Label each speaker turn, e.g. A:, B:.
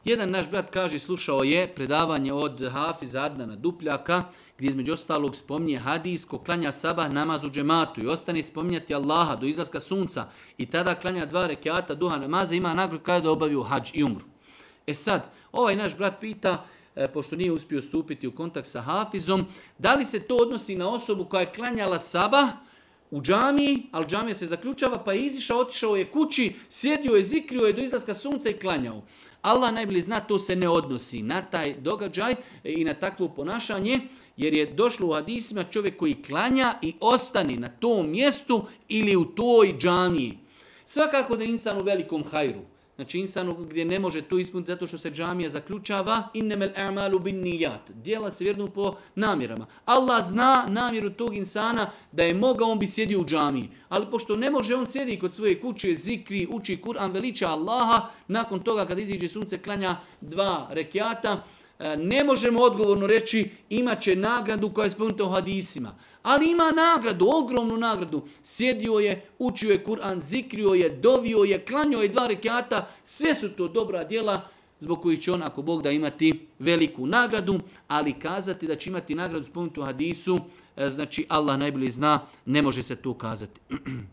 A: Jedan naš brat kaže, slušao je predavanje od Hafiza Adnana Dupljaka, gdje između ostalog spominje hadis ko klanja sabah namaz u džematu i ostane spominjati Allaha do izlaska sunca i tada klanja 2 rekata duha namaza, ima nagradu kada da obavio hadž i umru. E sad, ovaj naš brat pita, pošto nije uspio stupiti u kontakt sa Hafizom, da li se to odnosi na osobu koja je klanjala sabah u džamiji, ali džamija se zaključava, pa je izišao, otišao je kući, sjedio je, zikrio je do izlaska sunca i klanjao. Allah najbolje zna, to se ne odnosi na taj događaj i na takvo ponašanje, jer je došlo u hadisima čovjek koji klanja i ostane na tom mjestu ili u toj džamiji. Svakako da je insan u velikom hajru. Znači insanu gdje ne može to ispuniti zato što se džamija zaključava, innemel a'malu bin nijat. Djela se vjernu po namjerama. Allah zna namjeru tog insana da je mogao, on bi sjedio u džamiji. Ali pošto ne može, on sjedi kod svoje kuće, zikri, uči Kur'an, veliča Allaha, nakon toga kad iziđe sunce klanja 2 rekiata, ne možemo odgovorno reći imat će nagradu koja je spomenuta u hadisima. Ali ima nagradu, ogromnu nagradu. Sjedio je, učio je Kur'an, zikrio je, dovio je, klanjao je 2 rekiata. Sve su to dobra djela zbog kojih će on, ako Bog da, imati veliku nagradu. Ali kazati da će imati nagradu spomenutu u hadisu, znači Allah najbolje zna, ne može se to kazati.